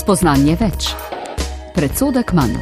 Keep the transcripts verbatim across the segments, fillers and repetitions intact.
Spoznanje več. Predsodek manj.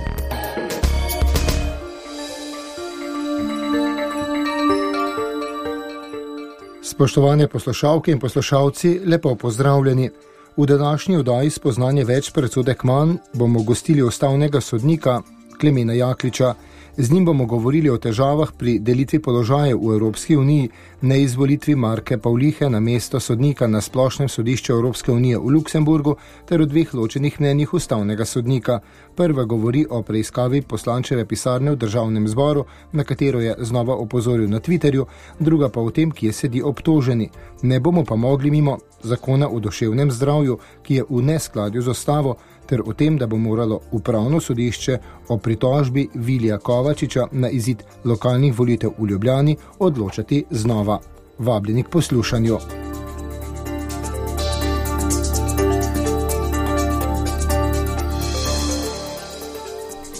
Spoštovane poslušalke in poslušalci, lepo pozdravljeni. V današnji oddaji Spoznanje več, predsodek manj bomo gostili ustavnega sodnika Klemena Jakliča. Z njim bomo govorili o težavah pri delitvi položajev v Evropski uniji, neizvolitvi Marke Pavlihe na mesto sodnika na Splošnem sodišču Evropske unije v Luksemburgu ter o dveh ločenih mnenjih ustavnega sodnika. Prva govori o preiskavi poslančeve pisarne v Državnem zboru, na katero je znova opozoril na Twitterju, druga pa o tem, kje sedi obtoženi. Ne bomo pa mogli mimo zakona o duševnem zdravju, ki je v neskladju z ustavo, ter o tem, da bo moralo upravno sodišče o pritožbi Vilija Kovačiča na izid lokalnih volitev v Ljubljani odločati znova. Vabljeni k poslušanju.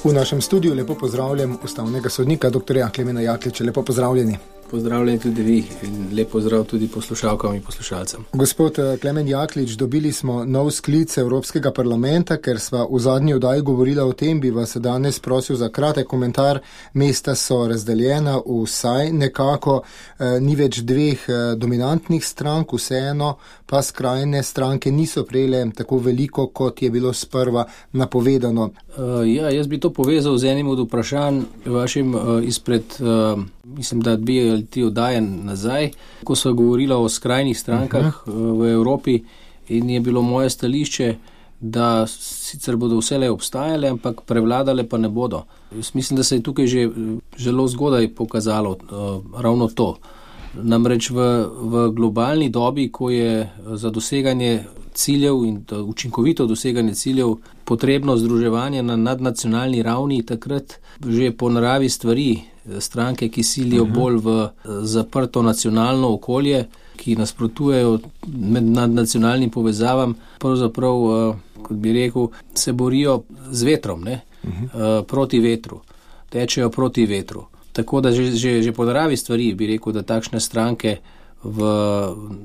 V našem studiu lepo pozdravljam ustavnega sodnika dr. Klemena Jakliča. Lepo pozdravljeni. Pozdravljeni tudi vi in lep pozdrav tudi poslušalkam in poslušalcem. Gospod Klemen Jaklič, dobili smo nov sklic Evropskega parlamenta, ker sva v zadnji oddaji govorila o tem, bi vas danes prosil za kratek komentar. Mesta so razdeljena vsaj nekako, eh, ni več dveh eh, dominantnih strank, vseeno pa skrajne stranke niso prejele tako veliko, kot je bilo sprva napovedano. Uh, ja, jaz bi to povezal z enim od vprašanj vašim uh, izpred, uh, mislim, da dve ali ti oddaje nazaj, ko sva govorila o skrajnih strankah uh, v Evropi in je bilo moje stališče, da sicer bodo vselej obstajale, ampak prevladale pa ne bodo. Jaz mislim, da se je tukaj že zelo zgodaj pokazalo uh, ravno to. Namreč v, v globalni dobi, ko je za doseganje ciljev in učinkovito doseganje ciljev potrebno združevanje na nadnacionalni ravni, takrat že po naravi stvari stranke, ki silijo uh-huh. bolj v zaprto nacionalno okolje, ki nasprotujejo med nadnacionalnim povezavam, pravzaprav, kot bi rekel, se borijo z vetrom, ne? Uh-huh. proti vetru, tečejo proti vetru. Tako da že, že, že po naravi stvari bi rekel, da takšne stranke v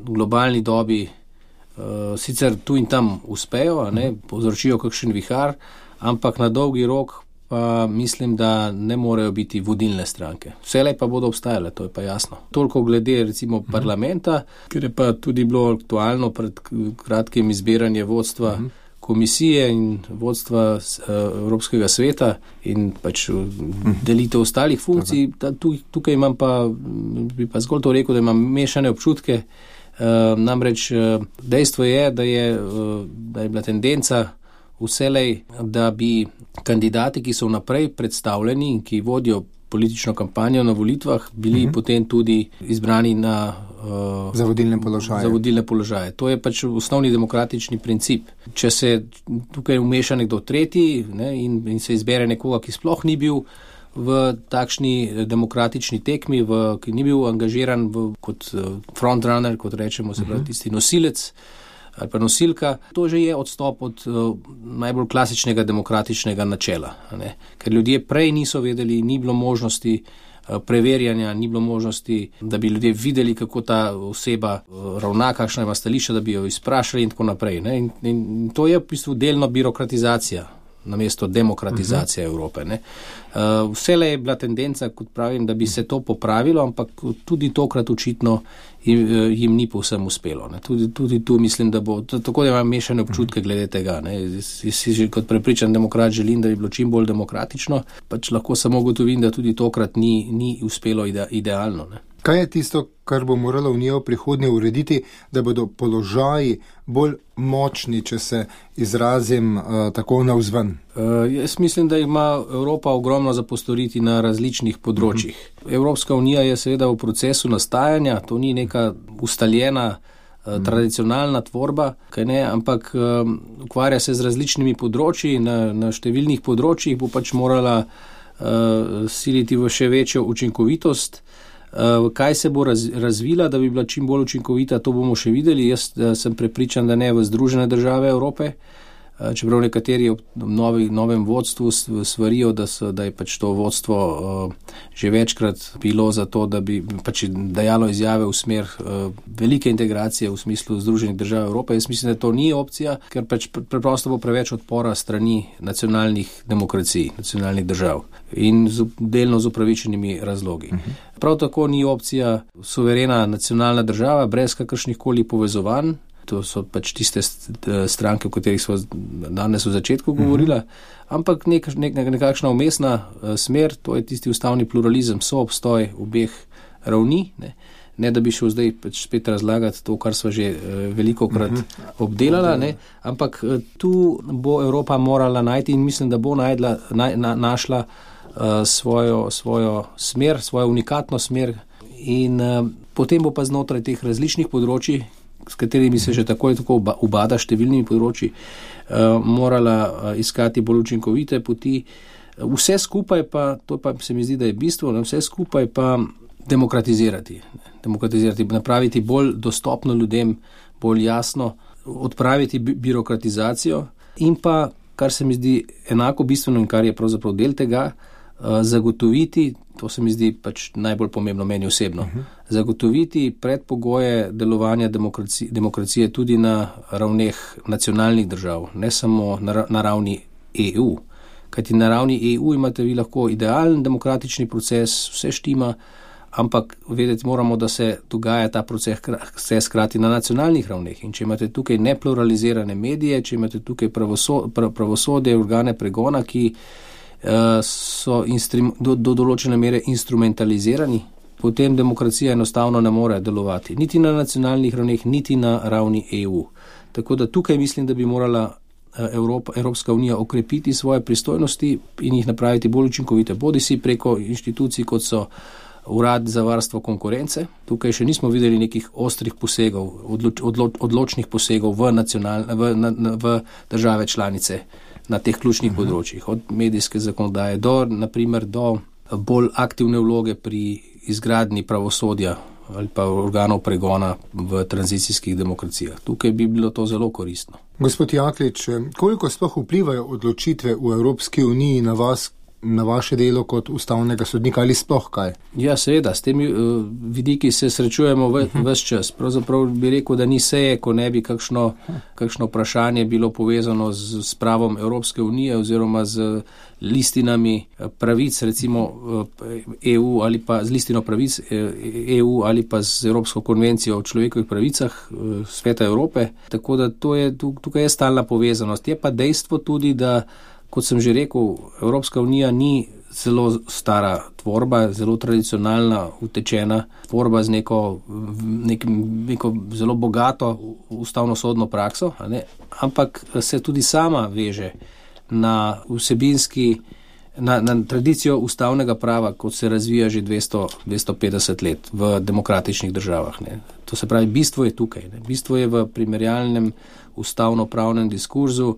globalni dobi uh, sicer tu in tam uspejo, a ne, povzročijo kakšen vihar, ampak na dolgi rok pa mislim, da ne morejo biti vodilne stranke. Vselej pa bodo obstajale, to je pa jasno. Toliko glede recimo parlamenta, ker je pa tudi bilo aktualno pred kratkim izbiranje vodstva uh-huh. komisije in vodstva Evropskega sveta in pač delitev ostalih funkcij. Tukaj imam pa, bi pa zgolj to rekel, da imam mešane občutke. Namreč dejstvo je, da je, da je bila tendenca vselej, da bi kandidati, ki so vnaprej predstavljeni in ki vodijo politično kampanjo na volitvah, bili uh-huh. potem tudi izbrani na uh, za vodilne položaje. Za vodilne položaje. To je pač osnovni demokratični princip. Če se tukaj vmeša nekdo tretji, ne, in, in se izbere nekoga, ki sploh ni bil v takšni demokratični tekmi, v, ki ni bil angažiran v, kot frontrunner, kot rečemo, se pravi tisti nosilec ali pa nosilka, to že je odstop od uh, najbolj klasičnega demokratičnega načela. Ne? Ker ljudje prej niso vedeli, ni bilo možnosti uh, preverjanja, ni bilo možnosti, da bi ljudje videli, kako ta oseba uh, ravna, kakšna ima stališča, da bi jo izprašali in tako naprej. Ne? In, in to je v bistvu delno birokratizacija namesto demokratizacija uh-huh. Evrope. Ne? Uh, vselej je bila tendenca, kot pravim, da bi se to popravilo, ampak tudi tokrat očitno jim, jim ni povsem uspelo. Ne? Tudi, tudi tu mislim, da bo, tako da imam mešane občutke glede tega. Jaz si že kot prepričan demokrat želim, da bi bilo čim bolj demokratično, pač lahko samo gotovim, da tudi tokrat ni, ni uspelo ide, idealno. Ne? Kaj je tisto, kar bo morala Unija v prihodnje urediti, da bodo položaji bolj močni, če se izrazim uh, tako navzven? Uh, jaz mislim, da ima Evropa ogromno za postoriti na različnih področjih. Uh-huh. Evropska unija je seveda v procesu nastajanja, to ni neka ustaljena, uh, uh-huh. tradicionalna tvorba, kaj ne, ampak uh, ukvarja se z različnimi področji, na, na številnih področjih bo pač morala uh, siliti v še večjo učinkovitost. Uh, kaj se bo raz, razvila, da bi bila čim bolj učinkovita, to bomo še videli. Jaz uh, sem prepričan, da ne v Združene države Evrope, čeprav nekateri v novi, novem vodstvu svarijo, da, so, da je pač to vodstvo uh, že večkrat bilo za to, da bi pač dajalo izjave v smer uh, velike integracije v smislu Združenih držav Evrope. Jaz mislim, da to ni opcija, ker pač preprosto bo preveč odpora strani nacionalnih demokracij, nacionalnih držav in z, delno z upravičenimi razlogi. Uh-huh. Prav tako ni opcija suverena nacionalna država brez kakršnih koli povezovanj. To so pač tiste stranke, o katerih smo danes v začetku govorila, ampak nek, nek, nekakšna umestna smer, to je tisti ustavni pluralizem, soobstoj obeh ravni, ne, ne da bi šel zdaj pač spet razlagati to, kar smo že velikokrat obdelala, ne, ampak tu bo Evropa morala najti in mislim, da bo najdla, na, na, našla uh, svojo, svojo smer, svojo unikatno smer in uh, potem bo pa znotraj teh različnih področij, s katerimi se že tako in tako ubada številnimi področji, uh, morala uh, iskati bolj učinkovite poti. Vse skupaj pa, to pa se mi zdi, da je bistvo, ne, vse skupaj pa demokratizirati, demokratizirati, napraviti bolj dostopno ljudem, bolj jasno, odpraviti bi- birokratizacijo in pa, kar se mi zdi enako bistveno in kar je pravzaprav del tega, uh, zagotoviti, to se mi zdi pač najbolj pomembno meni osebno, uh-huh. zagotoviti predpogoje delovanja demokracije, demokracije tudi na ravneh nacionalnih držav, ne samo na, na ravni E U. Kajti na ravni E U imate vi lahko idealen demokratični proces, vse štima, ampak vedeti moramo, da se dogaja ta proces vse skrati na nacionalnih ravneh. In če imate tukaj nepluralizirane medije, če imate tukaj pravosodje, pravosodje organe pregona, ki so instrum, do, do določene mere instrumentalizirani, potem demokracija enostavno ne more delovati. Niti na nacionalnih ravneh, niti na ravni E U. Tako da tukaj mislim, da bi morala Evropa, Evropska unija okrepiti svoje pristojnosti in jih napraviti bolj učinkovite, bodisi preko inštitucij, kot so Urad za varstvo konkurence. Tukaj še nismo videli nekih ostrih posegov, odloč, odlo, odločnih posegov v, nacional, v, na, v države članice na teh ključnih uh-huh. področjih, od medijske zakonodaje do, naprimer, do bolj aktivne vloge pri izgradnji pravosodja ali pa organov pregona v tranzicijskih demokracijah. Tukaj bi bilo to zelo koristno. Gospod Jaklič, koliko sploh vplivajo odločitve v Evropski uniji na vas, na vaše delo kot ustavnega sodnika ali sploh kaj? Ja, seveda, s temi uh, vidiki se srečujemo v, uh-huh. ves čas. Pravzaprav bi rekel, da ni seje, ko ne bi kakšno, kakšno vprašanje bilo povezano z, s pravom Evropske unije oziroma z listinami pravic, recimo E U ali pa z listino pravic E U ali pa z Evropsko konvencijo o človekovih pravicah Sveta Evrope. Tako da to je, tukaj je stalna povezanost. Je pa dejstvo tudi, da kot sem že rekel, Evropska unija ni zelo stara tvorba, zelo tradicionalna, utečena tvorba z neko, nek, neko zelo bogato ustavno-sodno prakso, a ne? Ampak se tudi sama veže na vsebinski, na, na tradicijo ustavnega prava, kot se razvija že dvesto, dvesto petdeset let v demokratičnih državah. Ne? To se pravi, bistvo je tukaj. Ne? Bistvo je v primerjalnem ustavno-pravnem diskurzu,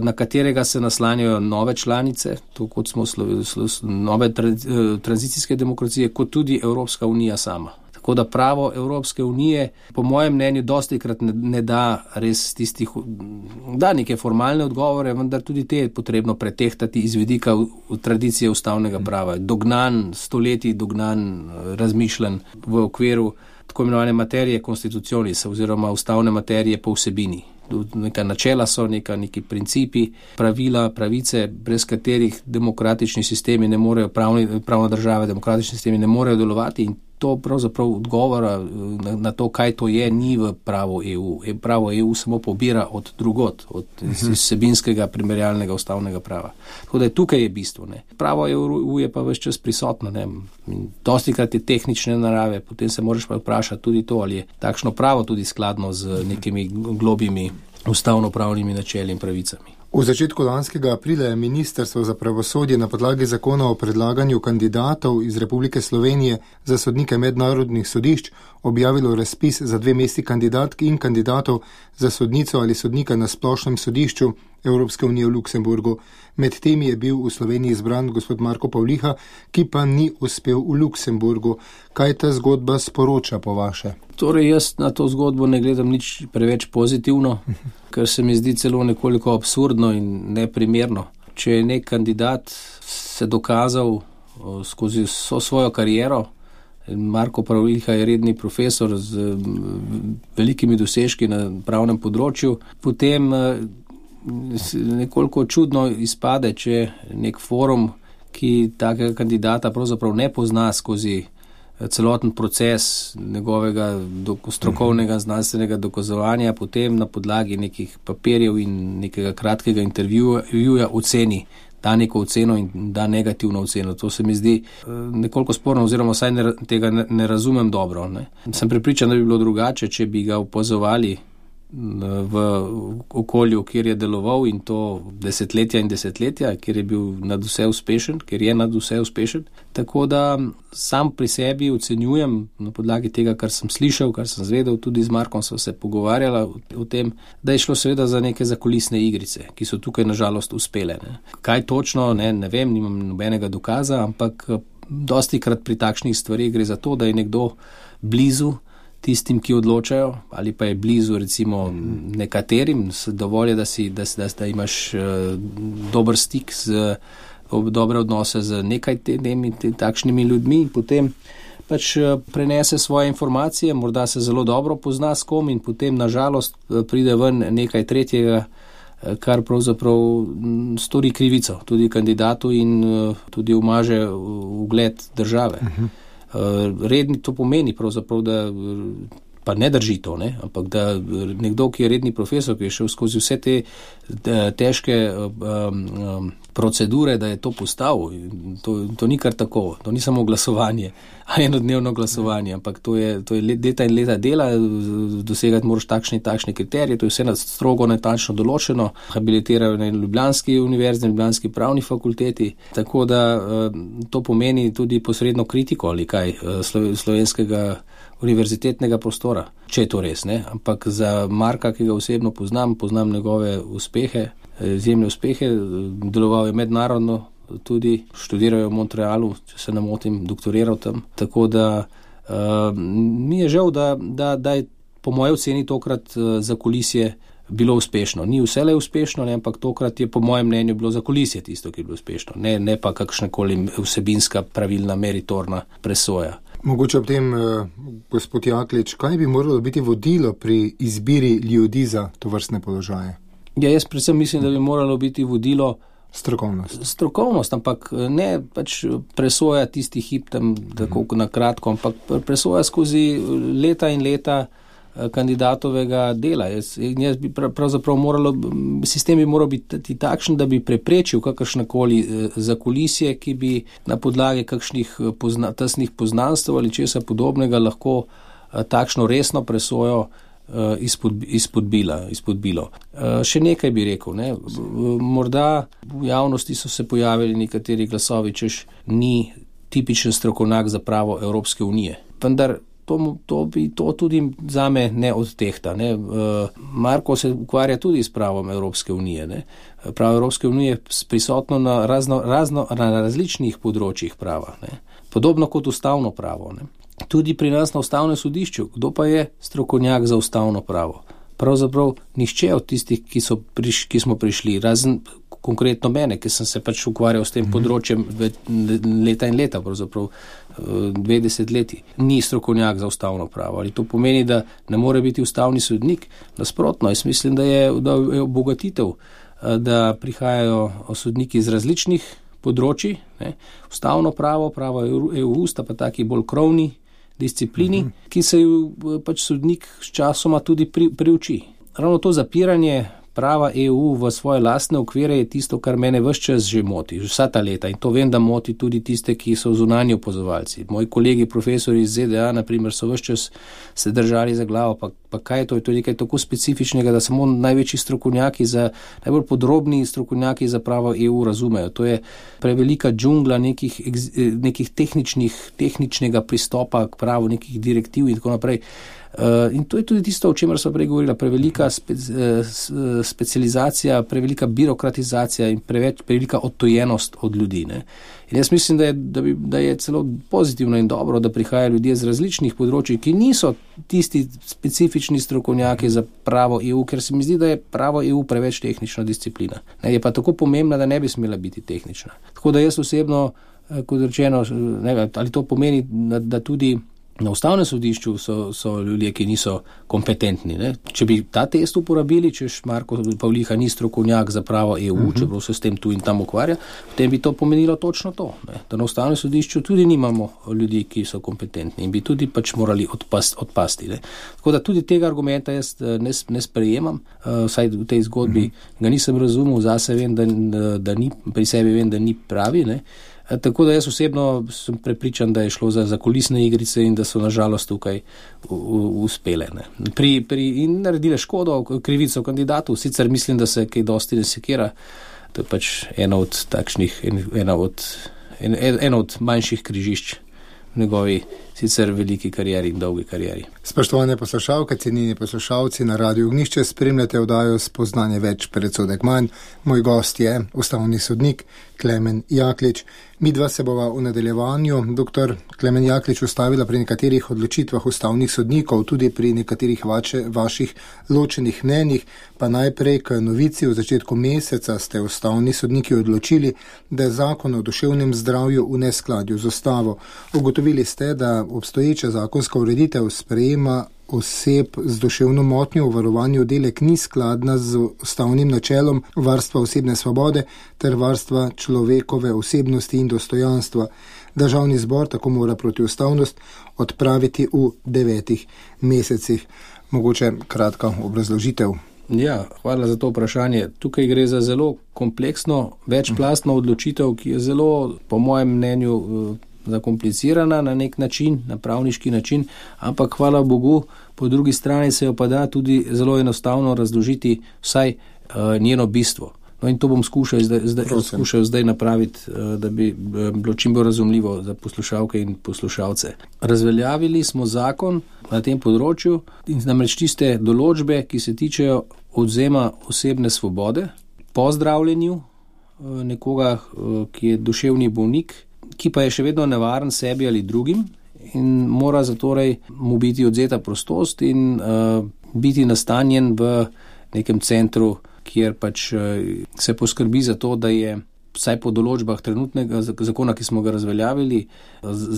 na katerega se naslanjajo nove članice, to kot smo slo, slo, nove tra, tranzicijske demokracije, kot tudi Evropska unija sama. Tako da pravo Evropske unije, po mojem mnenju, dostikrat ne, ne da res tistih, da neke formalne odgovore, vendar tudi te je potrebno pretehtati iz vidika v, v tradicije ustavnega prava. Dognan, stoletij dognan, razmišljen v okviru tako imenovane materije konstitucionis oziroma ustavne materije po vsebini. Neka načela so, neka, neki principi, pravila, pravice, brez katerih demokratični sistemi ne morejo, pravni, pravna država, demokratični sistemi ne morejo delovati in to pravzaprav odgovora na, na to, kaj to je, ni v pravo E U. Pravo E U samo pobira od drugot, od vsebinskega primerjalnega ustavnega prava. Tako da je tukaj je bistvo. Ne. Pravo E U je pa ves čas prisotno. Ne. Dostikrat je tehnične narave, potem se moraš pa vprašati tudi to, ali je takšno pravo tudi skladno z nekimi globimi ustavno-pravnimi načeli in pravicami. V začetku lanskega aprila je Ministrstvo za pravosodje na podlagi zakona o predlaganju kandidatov iz Republike Slovenije za sodnike mednarodnih sodišč objavilo razpis za dve mesti kandidatk in kandidatov za sodnico ali sodnika na splošnem sodišču Evropske unije v Luksemburgu. Med temi je bil v Sloveniji izbran gospod Marko Pavliha, ki pa ni uspel v Luksemburgu. Kaj ta zgodba sporoča po vaše? Torej, jaz na to zgodbo ne gledam nič preveč pozitivno, ker se mi zdi celo nekoliko absurdno in neprimerno. Če je nek kandidat se dokazal skozi vso svojo kariero, Marko Pavliha je redni profesor z velikimi dosežki na pravnem področju, potem nekoliko čudno izpade, če nek forum, ki takega kandidata pravzaprav ne pozna skozi celoten proces njegovega strokovnega znanstvenega dokazovanja, potem na podlagi nekih papirjev in nekega kratkega intervjuja oceni, da neko oceno in da negativno oceno. To se mi zdi nekoliko sporno, oziroma vsaj ne, tega ne, ne razumem dobro. Ne. Sem prepričan, da bi bilo drugače, če bi ga opazovali v okolju, kjer je deloval, in to desetletja in desetletja, kjer je bil nad vse uspešen, kjer je nad vse uspešen. Tako da sam pri sebi ocenjujem na podlagi tega, kar sem slišal, kar sem zvedel, tudi z Markom sva se pogovarjala o tem, da je šlo seveda za neke zakulisne igrice, ki so tukaj nažalost uspele. Ne. Kaj točno, ne, ne vem, nimam nobenega dokaza, ampak dostikrat pri takšnih stvarih gre za to, da je nekdo blizu tistim, ki odločajo, ali pa je blizu recimo nekaterim, dovolj je, da, si, da, da, da imaš uh, dober stik, z, dobre odnose z nekaj temi, te, takšnimi ljudmi, in potem pač uh, prenese svoje informacije, morda se zelo dobro pozna s kom, in potem nažalost uh, pride ven nekaj tretjega, uh, kar pravzaprav m, stori krivico tudi kandidatu in uh, tudi umaže ugled države. Uh-huh. Redni to pomeni pravzaprav, da pa ne drži to, ne? Ampak da nekdo, ki je redni profesor, ki je šel skozi vse te težke um, um, procedure, da je to postal, to, to ni kar tako, to ni samo glasovanje, enodnevno glasovanje, ampak to je, to je leta in leta dela, dosegati moraš takšne in takšne kriterije, to je vse strogo natančno določeno, habilitirajo na Ljubljanski univerzi, na Ljubljanski pravni fakulteti, tako da to pomeni tudi posredno kritiko ali kaj slovenskega univerzitetnega prostora, če je to res, ne? Ampak za Marka, ki ga osebno poznam, poznam njegove uspehe, izjemne uspehe, deloval je mednarodno, tudi študiral v Montrealu, če se ne motim, doktoriral tam, tako da uh, mi je žal, da, da, da je po moje oceni tokrat uh, za kulisje bilo uspešno. Ni vselej uspešno, ne, ampak tokrat je po mojem mnenju bilo za kulisje tisto, ki je bilo uspešno, ne, ne pa kakšnakoli vsebinska, pravilna, meritorna presoja. Mogoče ob tem, eh, gospod Jaklič, kaj bi moralo biti vodilo pri izbiri ljudi za tovrstne položaje? Ja, jaz predvsem mislim, da bi moralo biti vodilo strokovnost. Strokovnost, ampak ne pač presoja tisti hip tam tako mm. na kratko, ampak presoja skozi leta in leta kandidatovega dela. Jaz, jaz bi pravzaprav moralo, sistem bi moral biti takšen, da bi preprečil kakršnakoli zakulisje, ki bi na podlagi kakšnih pozna, tesnih poznanstv ali česa podobnega lahko takšno resno presojo izpod, izpodbila, izpodbilo. Še nekaj bi rekel, ne. Morda v javnosti so se pojavili nekateri glasovi, češ ni tipičen strokovnjak za pravo Evropske unije. Vendar To, to bi to tudi zame ne odtehta. Ne. Marko se ukvarja tudi s pravom Evropske unije. Ne. Pravo Evropske unije je prisotno na, razno, razno, na različnih področjih prava. Ne. Podobno kot ustavno pravo. Ne. Tudi pri nas na ustavnem sodišču, kdo pa je strokovnjak za ustavno pravo? Pravzaprav nihče od tistih, ki, so priš, ki smo prišli, razen konkretno mene, ki sem se pač ukvarjal s tem mm-hmm. področjem leta in leta, pravzaprav dve desetletji, ni strokovnjak za ustavno pravo. Ali to pomeni, da ne more biti ustavni sodnik? Nasprotno, jaz mislim, da je, da je obogatitev, da prihajajo sodniki iz različnih področji, ne? Ustavno pravo, pravo E U sta pa taki bolj krovni disciplini, uh-huh. ki se ju pač sodnik s časoma tudi pri, priuči. Ravno to zapiranje prava E U v svoje lastne okvire je tisto, kar mene ves čas že moti, vsa ta leta, in to vem, da moti tudi tiste, ki so zunanji opazovalci. Moji kolegi profesori iz Z D A, na primer, so ves čas se držali za glavo, pa, pa kaj je to? Je to nekaj tako specifičnega, da samo največji strokovnjaki, za, najbolj podrobni strokovnjaki za pravo E U razumejo. To je prevelika džungla nekih, nekih tehničnih, tehničnega pristopa k pravu, nekih direktiv in tako naprej. In to je tudi tisto, o čemer smo prej govorila, prevelika spe, specializacija, prevelika birokratizacija in preveč, prevelika odtojenost od ljudi. Ne. In jaz mislim, da je, da, bi, da je celo pozitivno in dobro, da prihajajo ljudje z različnih področij, ki niso tisti specifični strokovnjaki za pravo E U, ker se mi zdi, da je pravo E U preveč tehnična disciplina. Ne, je pa tako pomembna, da ne bi smela biti tehnična. Tako da jaz osebno, kot rečeno, ne, ali to pomeni, da, da tudi na ustavnem sodišču so, so ljudje, ki niso kompetentni. Ne? Če bi ta test uporabili, češ Marko Pavliha ni strokovnjak za pravo E U, uh-huh. čeprav se s tem tu in tam ukvarja, potem bi to pomenilo točno to. Ne? Da na ustavnem sodišču tudi nimamo ljudi, ki so kompetentni in bi tudi pač morali odpast, odpasti. Ne? Tako da tudi tega argumenta jaz ne, ne sprejemam, uh, vsaj v tej zgodbi uh-huh. ga nisem razumel, zase vem, da, da ni, pri sebi vem, da ni pravi, ne? Tako da jaz osebno sem prepričan, da je šlo za, za kulisne igrice in da so nažalost tukaj u, u, uspele. Ne. Pri, pri, in naredile škodo, krivico kandidatu, sicer mislim, da se kaj dosti ne sekira. To je pač ena od takšnih, ena od, en, ena od manjših križišč v njegovi sicer veliki karieri in dolgi karieri. Spoštovane poslušalke, cenjeni poslušalci, na Radiu Ognjišče spremljate oddajo Spoznanje več, predsodek manj. Moj gost je ustavni sodnik Klemen Jaklič. Midva se bova v nadaljevanju, doktor Klemen Jaklič, ustavila pri nekaterih odločitvah ustavnih sodnikov, tudi pri nekaterih vače, vaših ločenih mnenjih, pa najprej k novici. V začetku meseca ste ustavni sodniki odločili, da je zakon o duševnem zdravju v neskladju z ustavo. Ugotovili ste, da obstoječa zakonska ureditev sprejema oseb z duševno motnjo v varovanju oddelek ni skladna z ustavnim načelom varstva osebne svobode ter varstva človekove osebnosti in dostojanstva. Državni zbor tako mora protiustavnost odpraviti v devetih mesecih. Mogoče kratka obrazložitev. Ja, hvala za to vprašanje. Tukaj gre za zelo kompleksno, večplastno odločitev, ki je zelo, po mojem mnenju, zakomplicirana na nek način, na pravniški način, ampak hvala Bogu, po drugi strani se jo pa da tudi zelo enostavno razložiti vsaj uh, njeno bistvo. No in to bom skušal zdaj, zdaj, skušal zdaj napraviti, uh, da bi bilo čim bolj razumljivo za poslušalke in poslušalce. Razveljavili smo zakon na tem področju in namreč tiste določbe, ki se tičejo odvzema osebne svobode po zdravljenju uh, nekoga, uh, ki je duševni bolnik, ki pa je še vedno nevaren sebi ali drugim in mora zatorej mu biti odzeta prostost in uh, biti nastanjen v nekem centru, kjer pač uh, se poskrbi za to, da je vsaj po določbah trenutnega zakona, ki smo ga razveljavili,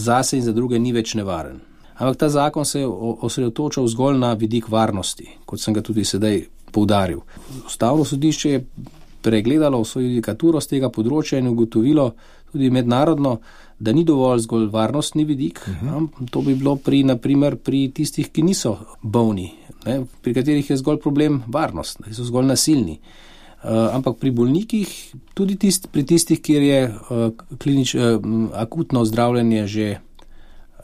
zase in za druge ni več nevaren. Ampak ta zakon se je osredotočal zgolj na vidik varnosti, kot sem ga tudi sedaj poudaril. Ustavno sodišče je pregledalo vso judikaturo z tega področja in ugotovilo tudi mednarodno, da ni dovolj zgolj varnostni vidik. Uh-huh. To bi bilo pri, naprimer, pri tistih, ki niso bolni, ne, pri katerih je zgolj problem varnost, da so zgolj nasilni. Uh, ampak pri bolnikih, tudi tist, pri tistih, kjer je uh, klinič, uh, akutno zdravljenje že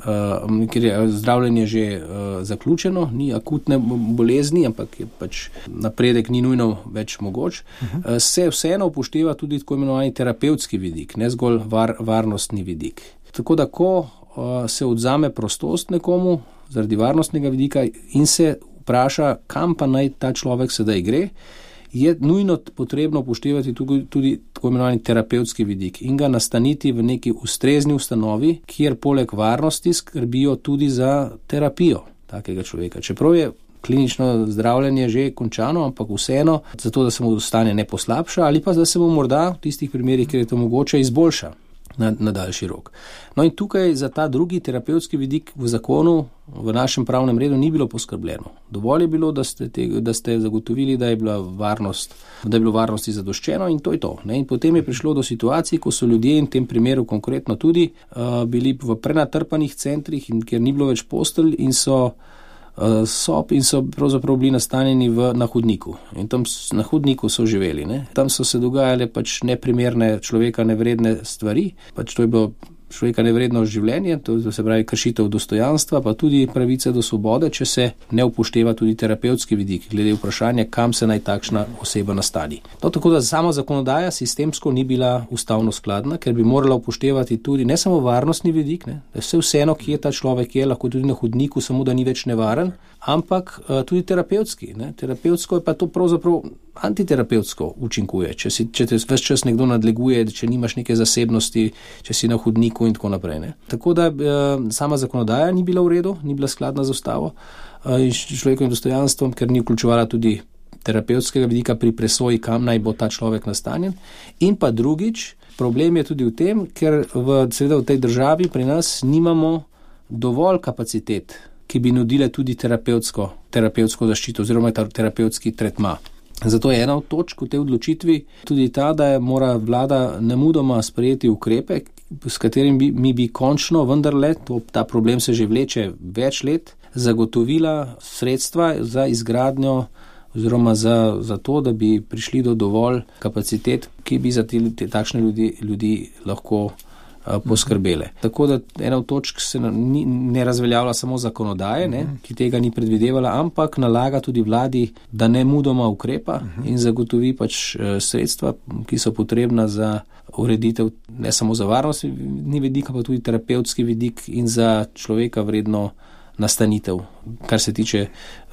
Uh, ker je zdravljenje že uh, zaključeno, ni akutne bolezni, ampak je pač napredek ni nujno več mogoč, uh-huh. uh, se vseeno upošteva tudi tako imenovani terapevtski vidik, ne zgolj var, varnostni vidik. Tako da, ko uh, se odzame prostost nekomu zaradi varnostnega vidika in se vpraša, kam pa naj ta človek sedaj gre, je nujno potrebno upoštevati tudi, tudi tako imenovani terapevtski vidik in ga nastaniti v neki ustrezni ustanovi, kjer poleg varnosti skrbijo tudi za terapijo takega človeka. Čeprav je klinično zdravljenje že končano, ampak vseeno, zato da se mu stanje ne poslabša ali pa da se mu morda v tistih primerih, kjer je to mogoče, izboljša na, na daljši rok. No in tukaj za ta drugi terapevtski vidik v zakonu, v našem pravnem redu ni bilo poskrbljeno. Dovolj je bilo, da ste, te, da ste zagotovili, da je bila varnost, da je bilo varnosti zadoščeno in to je to. Ne? In potem je prišlo do situacij, ko so ljudje in v tem primeru konkretno tudi uh, bili v prenatrpanih centrih, in, kjer ni bilo več postelj in so uh, sob in so pravzaprav bili nastanjeni v, na hodniku. In tam na hodniku so živeli. Ne? Tam so se dogajale pač neprimerne človeka nevredne stvari. Pač to je bilo človeka nevredno življenje, to se pravi kršitev dostojanstva, pa tudi pravice do svobode, če se ne upošteva tudi terapevtski vidik, glede vprašanja, kam se naj takšna oseba nastani. No, tako da sama zakonodaja sistemsko ni bila ustavno skladna, ker bi morala upoštevati tudi ne samo varnostni vidik, ne, da vse vseeno, kje ta človek je, lahko tudi na hodniku, samo da ni več nevaren, ampak uh, tudi terapevtski. Ne. Terapevtsko je pa to pravzaprav antiterapevtsko učinkuje. Če, si, če te ves čas nekdo nadleguje, če nimaš neke zasebnosti, če si na hodniku in tako naprej. Ne. Tako da uh, sama zakonodaja ni bila v redu, ni bila skladna z ustavo uh, in človekovim dostojanstvom, ker ni vključevala tudi terapevtskega vidika pri presoji, kam naj bo ta človek nastanjen. In pa drugič, problem je tudi v tem, ker v, seveda v tej državi pri nas nimamo dovolj kapacitet, ki bi nudile tudi terapevtsko, terapevtsko zaščito oziroma terapevtski tretma. Zato je ena od točk v tej odločitvi tudi ta, da mora vlada nemudoma sprejeti ukrepe, s katerim bi, mi bi končno vendarle, to, ta problem se že vleče več let, zagotovila sredstva za izgradnjo oziroma za, za to, da bi prišli do dovolj kapacitet, ki bi za te, te takšne ljudi, ljudi lahko a, poskrbele. Mm-hmm. Tako da ena od točk se ni, ne razveljavlja samo zakonodaje, ne, mm-hmm. ki tega ni predvidevala, ampak nalaga tudi vladi, da ne mudoma ukrepa mm-hmm. in zagotovi pač e, sredstva, ki so potrebna za ureditev ne samo za varnostni vidik, pa tudi terapevtski vidik in za človeka vredno nastanitev, kar se tiče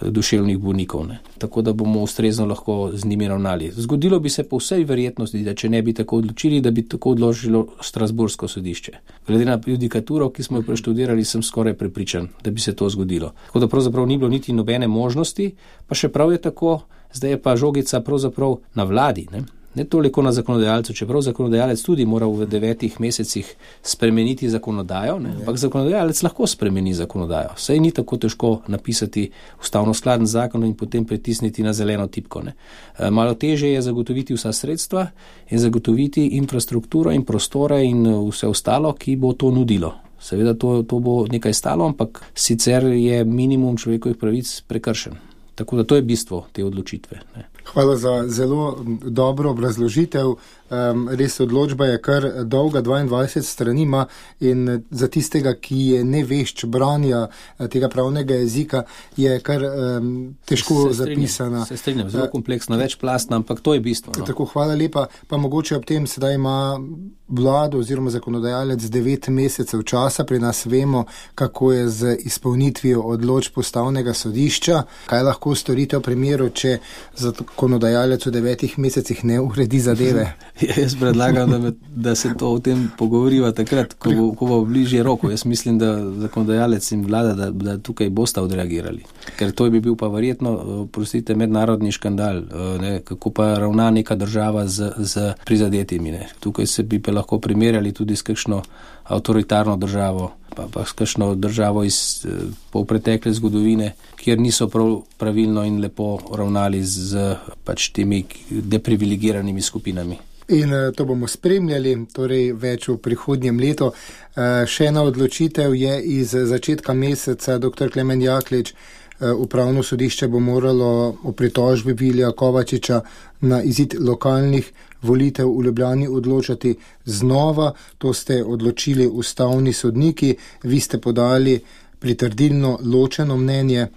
duševnih bolnikov. Ne. Tako da bomo ustrezno lahko z njimi ravnali. Zgodilo bi se po vsej verjetnosti, da če ne bi tako odločili, da bi tako odložilo Strasbourško sodišče. Glede na judikaturo, ki smo jo preštudirali, sem skoraj prepričan, da bi se to zgodilo. Tako da pravzaprav ni bilo niti nobene možnosti, pa še prav je tako, zdaj je pa žogica pravzaprav na vladi, ne. Ne toliko na zakonodajalcu, čeprav zakonodajalec tudi mora v devetih mesecih spremeniti zakonodajo, ne? Ampak zakonodajalec lahko spremeni zakonodajo. Saj ni tako težko napisati ustavno skladen zakon in potem pritisniti na zeleno tipko. Ne? Malo težje je zagotoviti vsa sredstva in zagotoviti infrastrukturo in prostore in vse ostalo, ki bo to nudilo. Seveda to, to bo nekaj stalo, ampak sicer je minimum človekovih pravic prekršen. Tako da to je bistvo te odločitve. Ne? Hvala za zelo dobro obrazložitev. Um, res odločba je kar dolga, dvaindvajset strani ima in za tistega, ki je nevešč branja tega pravnega jezika, je kar um, težko se zapisana. Se strinjam, zelo kompleksna, večplastna, ampak to je bistvo. No? Tako, hvala lepa. Pa mogoče ob tem sedaj ima vlado oziroma zakonodajalec devet mesecev časa. Pri nas vemo, kako je z izpolnitvijo odločb ustavnega sodišča. Kaj lahko storite v primeru, če zakonodajalec v devetih mesecih ne uredi zadeve? Jaz predlagam, da, me, da se to o tem pogovoriva takrat, ko bo, ko bo bližje roko. Jaz mislim, da zakonodajalec in vlada, da, da tukaj bosta odreagirali. Ker to bi bil pa verjetno, prostite, mednarodni škandal, ne, kako pa ravna neka država z, z prizadetimi. Ne. Tukaj se bi pa lahko primerjali tudi s kakšno avtoritarno državo, pa, pa s kakšno državo iz polpretekle zgodovine, kjer niso prav pravilno in lepo ravnali z pač temi deprivilegiranimi skupinami. In to bomo spremljali, torej več v prihodnjem letu. Še ena odločitev je iz začetka meseca, doktor Klemen Jaklič, upravno sodišče bo moralo o pritožbi Vilija Kovačiča na izid lokalnih volitev v Ljubljani odločati znova. To ste odločili ustavni sodniki, vi ste podali pritrdilno ločeno mnenje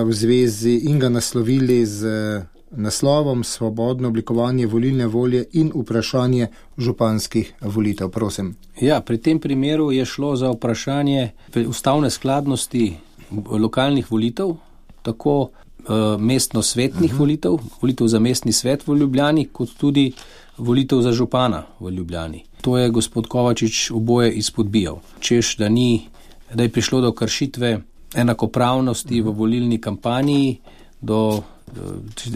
v zvezi in ga naslovili z naslovom Svobodno oblikovanje volilne volje in vprašanje županskih volitev. Prosim. Ja, pri tem primeru je šlo za vprašanje ustavne skladnosti lokalnih volitev, tako uh, mestno-svetnih uh-huh. volitev, volitev za mestni svet v Ljubljani, kot tudi volitev za župana v Ljubljani. To je gospod Kovačič oboje izpodbijal. Češ, da ni, da je prišlo do kršitve enakopravnosti uh-huh. v volilni kampanji, do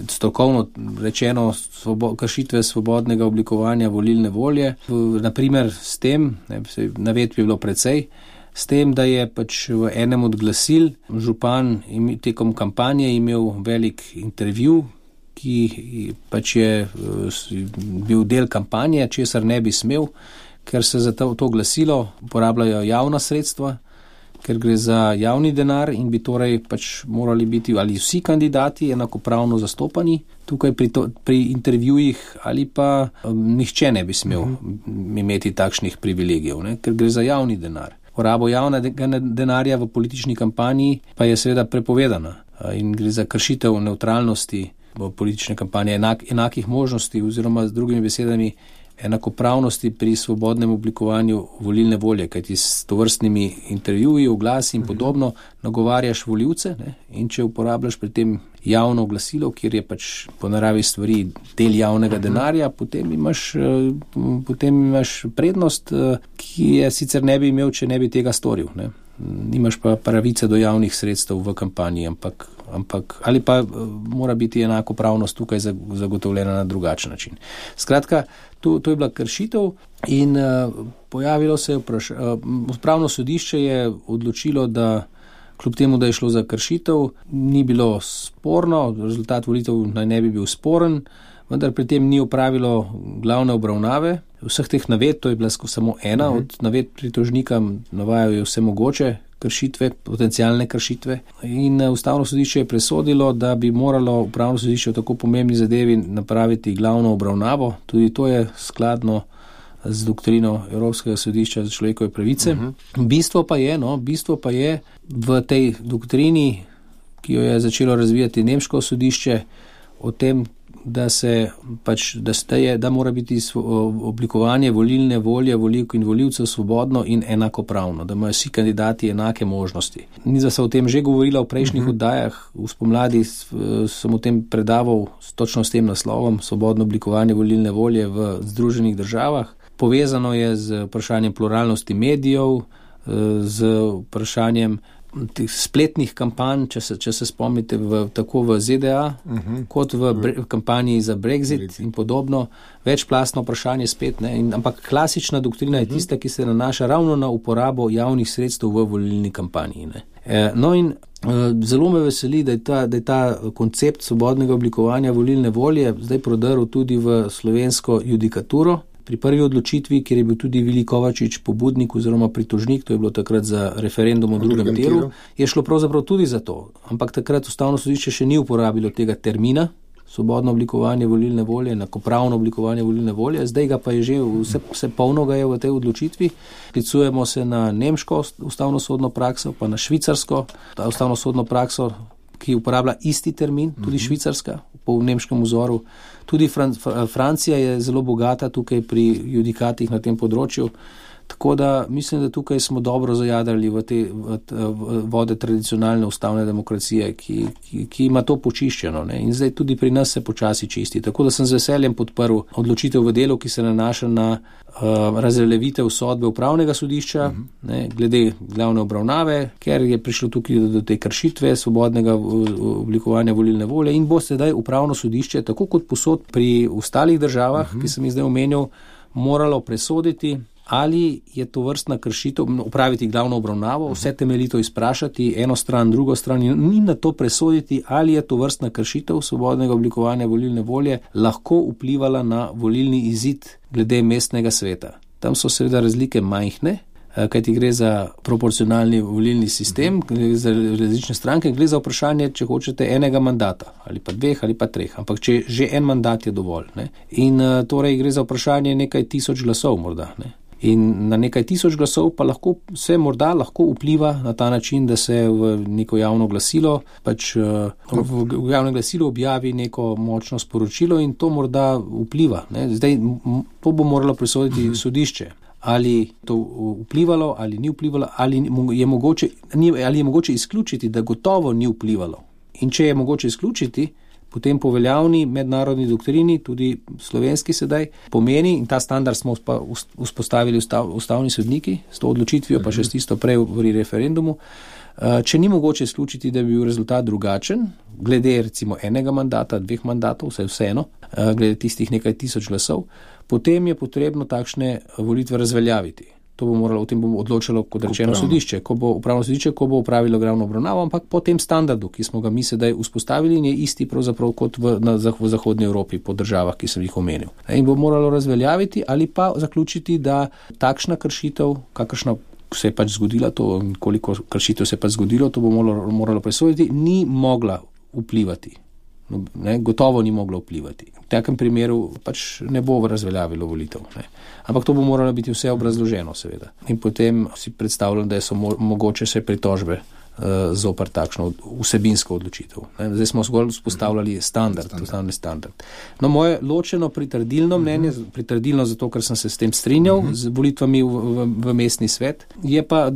strokovno rečeno svobo, kršitve svobodnega oblikovanja volilne volje. Naprimer s tem, ne, navedb je bilo precej, s tem, da je pač v enem od glasil župan tekom kampanje imel velik intervju, ki pač je bil del kampanje, česar ne bi smel, ker se za to, to glasilo uporabljajo javna sredstva, ker gre za javni denar in bi torej pač morali biti ali vsi kandidati enakopravno zastopani tukaj pri, to, pri intervjujih ali pa um, nihče ne bi smel uh-huh. imeti takšnih privilegijev, ne? Ker gre za javni denar. Porabo javnega denarja v politični kampanji pa je seveda prepovedana in gre za kršitev nevtralnosti v politične kampanje, enak, enakih možnosti oziroma z drugimi besedami enakopravnosti pri svobodnem oblikovanju volilne volje, kajti s tovrstnimi intervjuji, oglasi in podobno nagovarjaš volivce, ne? In če uporabljaš pri tem javno glasilo, kjer je pač po naravi stvari del javnega denarja, potem imaš, potem imaš prednost, ki je sicer ne bi imel, če ne bi tega storil, ne? Nimaš pa pravice do javnih sredstev v kampanji, ampak, ampak ali pa mora biti enakopravnost tukaj zagotovljena na drugačen način. Skratka, to, to je bila kršitev in uh, pojavilo se je vprašanje. Uh, Upravno sodišče je odločilo, da kljub temu, da je šlo za kršitev, ni bilo sporno, rezultat volitev naj ne bi bil sporen, vendar pri tem ni opravilo glavne obravnave. Vseh teh navedb, to je bila samo ena uh-huh. od navedb pritožnika, navajajo vse mogoče kršitve, potencialne kršitve. In Ustavno sodišče je presodilo, da bi moralo Upravno sodišče v tako pomembni zadevi napraviti glavno obravnavo. Tudi to je skladno z doktrino Evropskega sodišča za človekove pravice. Uh-huh. Bistvo pa je, no, bistvo pa je v tej doktrini, ki jo je začelo razvijati nemško sodišče, o tem, da se pač, da steje, da mora biti oblikovanje volilne volje volivk in volivcev svobodno in enakopravno, da imajo vsi kandidati enake možnosti. Niza se o tem že govorila v prejšnjih uh-huh. oddajah, v spomladi sem o tem predaval točno s tem naslovom Svobodno oblikovanje volilne volje v Združenih državah. Povezano je z vprašanjem pluralnosti medijev, z vprašanjem teh spletnih kampanj, če se, če se spomnite, v, tako v Z D A, uh-huh. kot v bre, kampanji za Brexit, Brexit in podobno. Večplastno vprašanje spet, ne? In, ampak klasična doktrina uh-huh. je tista, ki se nanaša ravno na uporabo javnih sredstev v volilni kampanji. Ne? E, no in e, zelo me veseli, da je, ta, da je ta koncept svobodnega oblikovanja volilne volje zdaj prodrl tudi v slovensko judikaturo. Pri prvi odločitvi, kjer je bil tudi Vili Kovačič pobudnik oziroma pritožnik, to je bilo takrat za referendum o drugem delu, je šlo pravzaprav tudi za to. Ampak takrat Ustavno sodišče še ni uporabilo tega termina, svobodno oblikovanje volilne volje, enakopravno oblikovanje volilne volje, zdaj ga pa je že, vse, vse polno ga je v tej odločitvi. Klicujemo se na nemško ustavno sodno prakso, pa na švicarsko ustavno sodno prakso, ki uporablja isti termin, tudi švicarska, po nemškem vzoru. Tudi Fran- Francija je zelo bogata tukaj pri judikatih na tem področju, tako da mislim, da tukaj smo dobro zajadrali v te v, v vode tradicionalne ustavne demokracije, ki, ki, ki ima to počiščeno, ne? In zdaj tudi pri nas se počasi čisti. Tako da sem z veseljem podprl odločitev v delu, ki se nanaša na uh, razveljavitev sodbe upravnega sodišča, uh-huh. ne, glede glavne obravnave, ker je prišlo tukaj do, do te kršitve svobodnega oblikovanja volilne volje in bo sedaj upravno sodišče, tako kot posod pri ostalih državah, uh-huh. ki sem jih zdaj omenil, moralo presoditi, ali je to vrstna kršitev, upraviti glavno obravnavo, vse temeljito izprašati, eno stran, drugo stran in na to presoditi, ali je to vrstna kršitev svobodnega oblikovanja volilne volje lahko vplivala na volilni izid glede mestnega sveta. Tam so seveda razlike majhne, kajti gre za proporcionalni volilni sistem, gre za različne stranke, gre za vprašanje, če hočete, enega mandata, ali pa dveh, ali pa treh, ampak če že en mandat je dovolj. Ne? In torej gre za vprašanje nekaj tisoč glasov morda, ne? In na nekaj tisoč glasov pa lahko se morda lahko vpliva na ta način, da se v neko javno glasilo, pač v javno glasilo objavi neko močno sporočilo in to morda vpliva. Ne? Zdaj, to bo moralo presoditi sodišče. Ali to vplivalo, ali ni vplivalo, ali je mogoče, ali je mogoče izključiti, da gotovo ni vplivalo. In če je mogoče izključiti, potem po veljavni mednarodni doktrini, tudi slovenski sedaj, pomeni, in ta standard smo vzpostavili ustav, ustavni sodniki, s to odločitvijo, pa še s tisto prej v referendumu, če ni mogoče izključiti, da bi bil rezultat drugačen, glede recimo enega mandata, dveh mandatov, vse vseeno, glede tistih nekaj tisoč glasov, potem je potrebno takšne volitve razveljaviti. To bo moralo, o tem bo odločilo, kot rečeno, upravno sodišče, ko bo upravno sodišče, ko bo upravilo glavno obravnavo, ampak po tem standardu, ki smo ga mi sedaj vzpostavili, in je isti pravzaprav kot v, na, v Zahodnji Evropi, po državah, ki sem jih omenil. In bo moralo razveljaviti ali pa zaključiti, da takšna kršitev, kakršna se je pač zgodila to, koliko kršitev se je pač zgodilo, to bo moralo, moralo presoditi, ni mogla vplivati. No, ne, gotovo ni mogla vplivati. V takem primeru pač ne bo razveljavilo volitev. Ne. Ampak to bo moralo biti vse obrazloženo, seveda. In potem si predstavljam, da so mo- mogoče se pritožbe zoper takšno vsebinsko odločitev. Zdaj smo zgolj vzpostavljali standard, standard. standard. No, moje ločeno pritrdilno mnenje, uh-huh. pritrdilno zato, ker sem se s tem strinjal, uh-huh. z volitvami v, v, v mestni svet, je pa,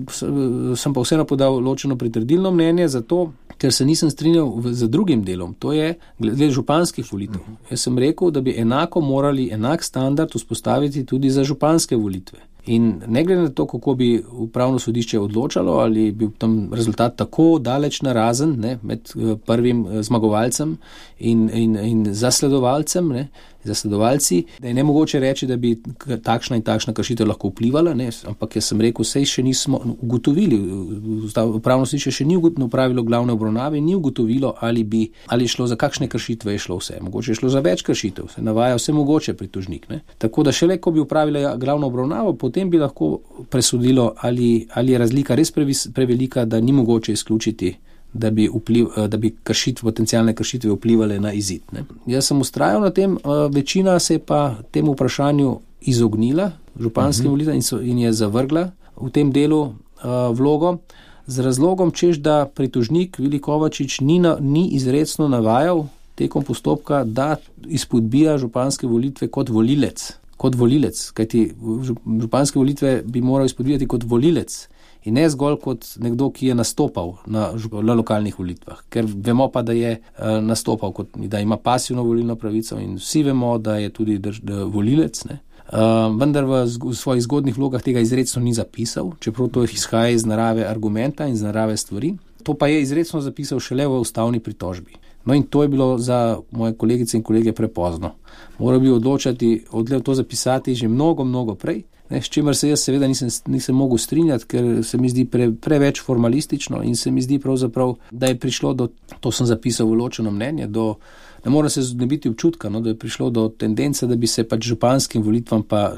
sem pa vseeno podal ločeno pritrdilno mnenje zato, ker se nisem strinjal v, z drugim delom, to je glede županskih volitev. Uh-huh. Jaz sem rekel, da bi enako morali enak standard vzpostaviti tudi za županske volitve. In ne glede na to, kako bi upravno sodišče odločalo, ali bi tam rezultat tako daleč narazen, ne, med prvim zmagovalcem in, in, in zasledovalcem, ne, zasledovalci, da je nemogoče reči, da bi takšna in takšna kršitev lahko vplivala, ne, ampak jaz sem rekel, sej še nismo ugotovili, upravno sodišče še ni upravilo glavne obravnave, ni ugotovilo, ali bi, ali šlo za kakšne kršitve je šlo vse. Mogoče je šlo za več kršitev, se navaja vse mogoče pritožnik, ne. Tako da šele, ko bi upravila glavno obravnavo, potem bi lahko presodilo, ali, ali je razlika res previs, prevelika, da ni mogoče izključiti, da bi, vpliv, da bi kršitve, potencialne kršitve vplivale na izid. Ne. Jaz sem ustrajal na tem, večina se je pa temu vprašanju izognila, županskim uh-huh. volitvam, in, so, in je zavrgla v tem delu uh, vlogo, z razlogom, češ da pritožnik Vili Kovačič ni, na, ni izrecno navajal tekom postopka, da izpodbija županske volitve kot volilec. kot volilec, kajti županske volitve bi moral izpodbijati kot volilec in ne zgolj kot nekdo, ki je nastopal na, na lokalnih volitvah, ker vemo pa, da je uh, nastopal, kot, da ima pasivno volilno pravico in vsi vemo, da je tudi drž, da volilec, ne. Uh, vendar v, v svojih zgodnih vlogah tega izrecno ni zapisal, čeprav to izhaja iz narave argumenta in iz narave stvari. To pa je izrecno zapisal šele v ustavni pritožbi. No in to je bilo za moje kolegice in kolege prepozno. Moral bi odločati, odlev to zapisati že mnogo, mnogo prej, ne, s čimer se jaz seveda nisem, nisem mogel strinjati, ker se mi zdi pre, preveč formalistično in se mi zdi pravzaprav, da je prišlo do, to sem zapisal v ločeno mnenje, do, ne mora se znebiti občutka, no, da je prišlo do tendence, da bi se pač županskim volitvam pa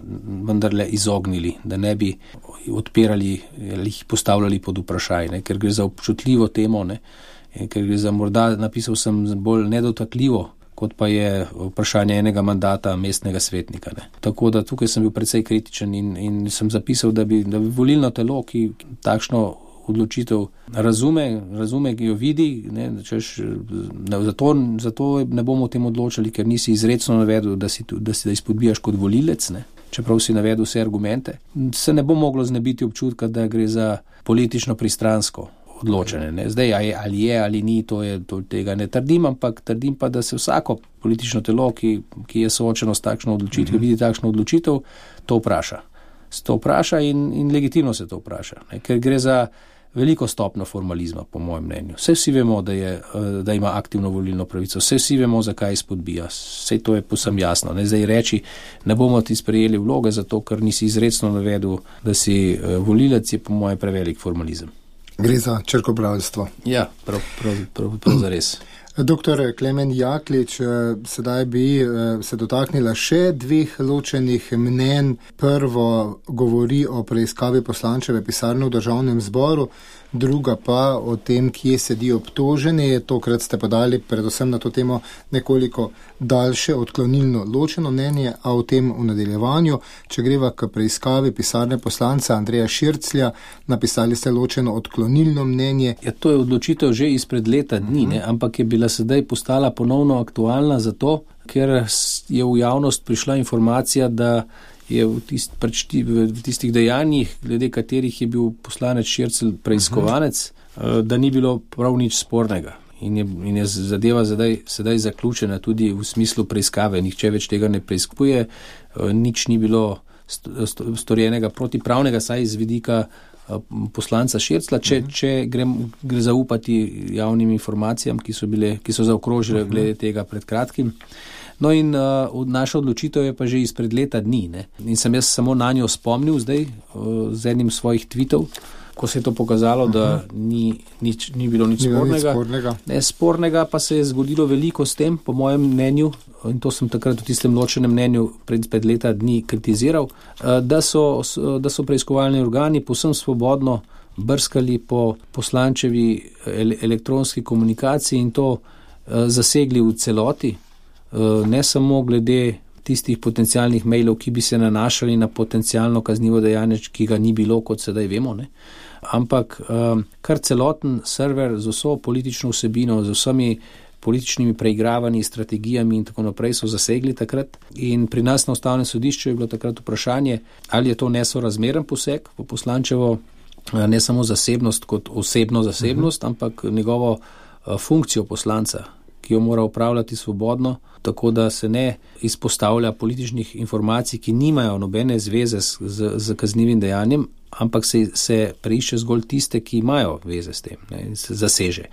vendarle izognili, da ne bi odpirali ali jih postavljali pod vprašaj, ne, ker gre za občutljivo temo, ne, ker gre za morda, napisal sem bolj nedotakljivo, kot pa je vprašanje enega mandata mestnega svetnika. Ne. Tako da tukaj sem bil precej kritičen in, in sem zapisal, da bi, da bi volilno telo, ki takšno odločitev razume, razume, ki jo vidi, ne, češ, zato, zato ne bomo o tem odločali, ker nisi izrecno navedel, da si, da si da izpodbijaš kot volilec, ne, čeprav si navedel vse argumente. Se ne bo moglo znebiti občutka, da gre za politično pristransko odločene. Ne. Zdaj, ali je ali ni, to je, to tega ne trdim, ampak trdim pa, da se vsako politično telo, ki, ki je soočeno s takšno odločitev, mm-hmm. vidi takšno odločitev, to vpraša. Se to vpraša in, in legitimno se to vpraša. Ne. Ker gre za veliko stopno formalizma, po mojem mnenju. Vse vsi vemo, da, je, da ima aktivno volilno pravico, vse vsi vemo, zakaj izpodbija. Vse to je posem jasno. Ne. Zdaj reči, ne bomo ti sprejeli vloge, zato ker nisi izrecno navedel, da si volilec, je po mojem prevelik formalizem. Gre za črkobralstvo. Ja, prav, prav, prav, prav zares. Doktor Klemen Jaklič, sedaj bi se dotaknila še dveh ločenih mnenj. Prvo govori o preiskavi poslančeve pisarne v Državnem zboru, druga pa o tem, kje sedijo obtoženi. Tokrat ste podali predvsem na to temo nekoliko daljše odklonilno ločeno mnenje, a o tem v nadaljevanju. Če greva k preiskavi pisarne poslanca Andreja Širclja, napisali ste ločeno odklonilno mnenje. Ja, to je odločitev že izpred leta dni, ne? Ampak je bila sedaj postala ponovno aktualna zato, ker je v javnost prišla informacija, da je v, tist, v tistih dejanjih, glede katerih je bil poslanec Šircelj preiskovanec, uh-huh. da ni bilo prav nič spornega. In je, in je zadeva sedaj, sedaj zaključena tudi v smislu preiskave. Nihče več tega ne preiskuje, nič ni bilo storjenega protipravnega, saj iz vidika poslanca Širclja, če, uh-huh. če gre, gre zaupati javnim informacijam, ki so, bile, ki so zaokrožile uh-huh. glede tega pred kratkim. No in uh, naša odločitev je pa že izpred leta dni. Ne? In sem jaz samo na njo spomnil zdaj uh, z enim svojih tweetov, ko se je to pokazalo, da ni, nič, ni bilo nič ni spornega. Nič spornega. Ne, spornega pa se je zgodilo veliko s tem, po mojem mnenju, in to sem takrat v tistem ločenem mnenju pred, pred leta dni kritiziral, da so, da so preiskovalni organi povsem svobodno brskali po poslančevi elektronski komunikaciji in to zasegli v celoti, ne samo glede tistih potencialnih mailov, ki bi se nanašali na potencialno kaznivo dejanje, ki ga ni bilo, kot sedaj vemo, ne? Ampak kar celoten server z vso politično vsebino, z vsemi političnimi preigravanji, strategijami in tako naprej so zasegli takrat. In pri nas na Ustavnem sodišču je bilo takrat vprašanje, ali je to nesorazmeren poseg v poslančevo ne samo zasebnost kot osebno zasebnost, uh-huh. ampak njegovo funkcijo poslanca, ki jo mora upravljati svobodno, tako da se ne izpostavlja političnih informacij, ki nimajo nobene zveze z, z, z kaznivim dejanjem, ampak se, se preišče zgolj tiste, ki imajo veze s tem, ne, in se zaseže.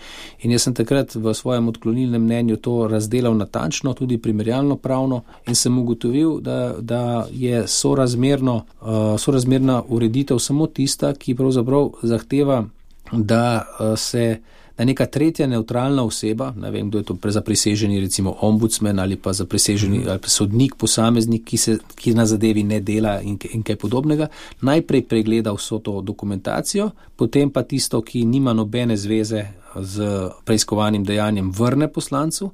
In jaz sem takrat v svojem odklonilnem mnenju to razdelal natančno, tudi primerjalno pravno, in sem ugotovil, da, da je sorazmerno, uh, sorazmerna ureditev samo tista, ki pravzaprav zahteva, da uh, se da neka tretja neutralna oseba, ne vem, kdo je to zapriseženi, recimo ombudsman ali pa zapriseženi mm. ali pa sodnik, posameznik, ki, se, ki na zadevi ne dela in, in kaj podobnega, najprej pregleda vso to dokumentacijo, potem pa tisto, ki nima nobene zveze z preiskovanim dejanjem, vrne poslancu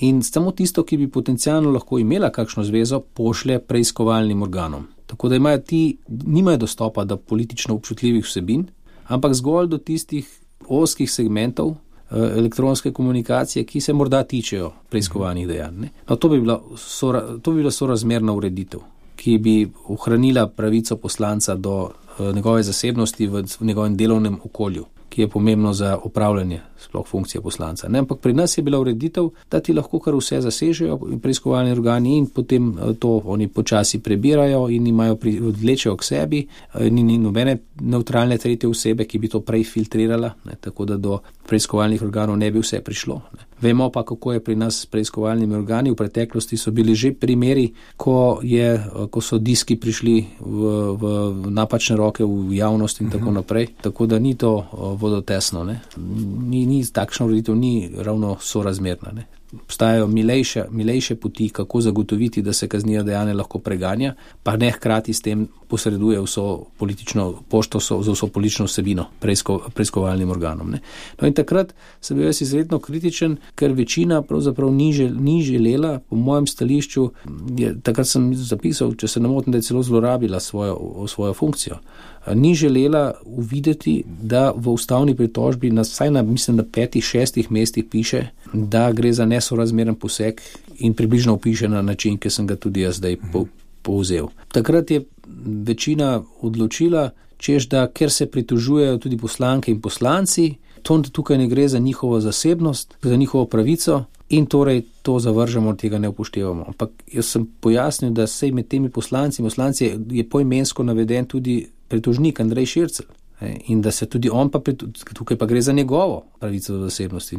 in samo tisto, ki bi potencialno lahko imela kakšno zvezo, pošlje preiskovalnim organom. Tako da imajo ti, nimajo dostopa do politično občutljivih vsebin, ampak zgolj do tistih oskih segmentov elektronske komunikacije, ki se morda tičejo preiskovanih dejanj. Ne? No, to bi bila, sora, to bi bila sorazmerna ureditev, ki bi ohranila pravico poslanca do uh, njegove zasebnosti v, v njegovem delovnem okolju, ki je pomembno za upravljanje sploh funkcije poslanca. Ne? Ampak pri nas je bila ureditev, da ti lahko kar vse zasežejo preiskovalni organi in potem to oni počasi prebirajo in imajo pri, odlečejo k sebi, ni, ni nobene neutralne tretje osebe, ki bi to prej filtrirala, ne? Tako da do preiskovalnih organov ne bi vse prišlo. Ne? Vemo pa, kako je pri nas s preiskovalnimi organi. V preteklosti so bili že primeri, ko, je, ko so diski prišli v, v napačne roke v javnost in tako naprej. Tako da ni to vodotesno. Ne? Ni, ni, takšna ureditev ni ravno sorazmerna. Ne? Obstajajo milejše, milejše poti, kako zagotoviti, da se kaznivo dejanje lahko preganja, pa ne hkrati s tem posreduje vso politično pošto, so, za vso politično vsebino preisko, preiskovalnim organom. Ne. No in takrat sem bil jaz izredno kritičen, ker večina pravzaprav ni, žel, ni želela, po mojem stališču, je, takrat sem zapisal, če se ne motim, da je celo zlorabila svojo, svojo funkcijo. Ni želela uvideti, da v ustavni pritožbi na vsaj na, mislim, na petih, šestih mestih piše, da gre za nesorazmeren poseg in približno opiše na način, ki sem ga tudi jaz zdaj po, povzel. Takrat je večina odločila, češ da, ker se pritožujejo tudi poslanke in poslanci, to tukaj ne gre za njihovo zasebnost, za njihovo pravico in torej to zavržemo, tega ne upoštevamo. Ampak jaz sem pojasnil, da sej med temi poslanci in poslanci je poimensko naveden tudi pritožnik Andrej Šircelj in da se tudi on pa, tukaj pa gre za njegovo pravico do zasebnosti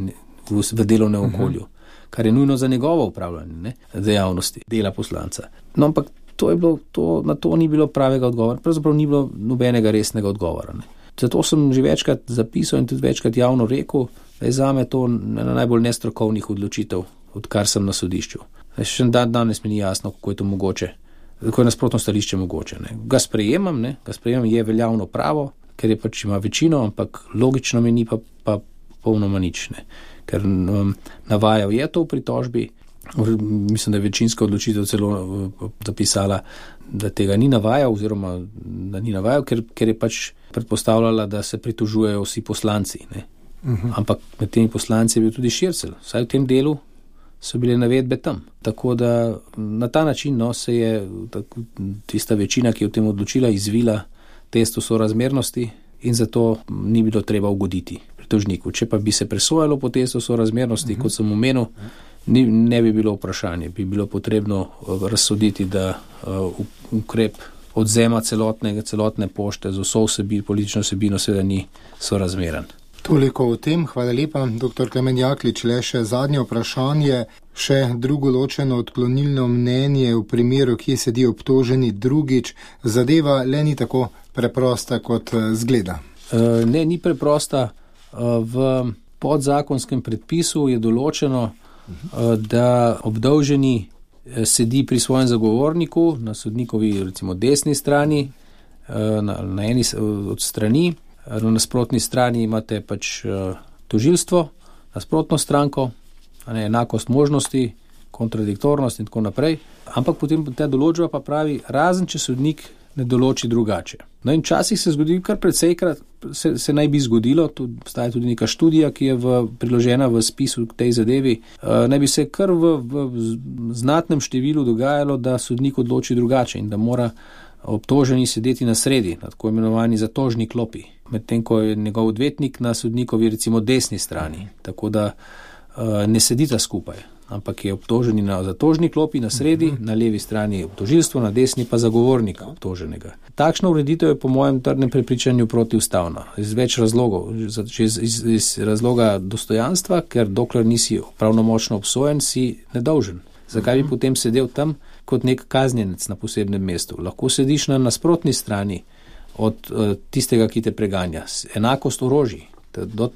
v, v delovnem okolju, kar je nujno za njegovo upravljanje, ne, dejavnosti, dela poslanca. No, ampak to je bilo, to, na to ni bilo pravega odgovora, pravzaprav ni bilo nobenega resnega odgovora. Ne. Zato sem že večkrat zapisal in tudi večkrat javno rekel, da je zame to ena najbolj nestrokovnih odločitev, odkar sem na sodišču. Še dan danes mi ni jasno, kako je to mogoče, kako je nasprotno stališče mogoče. Ne. Ga sprejemam, ne, ga sprejemam, je veljavno pravo, ker je pač ima večino, ampak logično mi ni pa, pa polnoma nič. Ne. Ker um, navajal je to v pritožbi, mislim, da je večinska odločitev celo uh, zapisala, da tega ni navajal, oziroma da ni navajal, ker, ker je pač predpostavljala, da se pritožujejo vsi poslanci. Ne. Uh-huh. Ampak med temi poslanci je bil tudi Šircelj. Vsaj v tem delu so bile navedbe tam. Tako da na ta način no, se je tako, tista večina, ki je v tem odločila, izvila testu sorazmernosti in zato ni bilo treba ugoditi pritožniku. Če pa bi se presojalo po testu sorazmernosti, uh-huh. kot sem omenil, ni, ne bi bilo vprašanje. Bi bilo potrebno razsoditi, da uh, ukrep odzema celotnega, celotne pošte z vso vsebino, politično vsebino seveda ni sorazmeren. Toliko o tem, hvala lepa, doktor Klemen Jaklič. Le še zadnje vprašanje, še drugo ločeno odklonilno mnenje v primeru, kje sedi obtoženi drugič, zadeva le ni tako preprosta kot zgleda. Ne, ni preprosta. V podzakonskem predpisu je določeno, da obdolženi sedi pri svojem zagovorniku na sodnikovi recimo desni strani, na, na eni od strani, na nasprotni strani imate pač tožilstvo, nasprotno stranko, ne, enakost možnosti, kontradiktornost in tako naprej, ampak potem ta določba pa pravi, razen če sodnik ne določi drugače. No in časih se zgodi, kar predsejkrat se, se naj bi zgodilo, tudi obstaja tudi neka študija, ki je v, priložena v spisu k tej zadevi, uh, naj bi se kar v, v znatnem številu dogajalo, da sodnik odloči drugače in da mora obtoženi sedeti na sredi, na tako imenovani zatožni klopi, medtem ko je njegov odvetnik na sodnikovi recimo desni strani, tako da uh, ne sedita skupaj, ampak je obtoženi na zatožni klopi na sredi, uh-huh. na levi strani obtožilstvo, na desni pa zagovornika obtoženega. Takšna ureditev je po mojem trdnem prepričanju protiustavna, iz več razlogov, iz, iz, iz razloga dostojanstva, ker dokler nisi pravnomočno obsojen, si nedolžen. Zakaj bi potem sedel tam kot nek kaznjenec na posebnem mestu? Lahko sediš na nasprotni strani od uh, tistega, ki te preganja. Enakost orožij.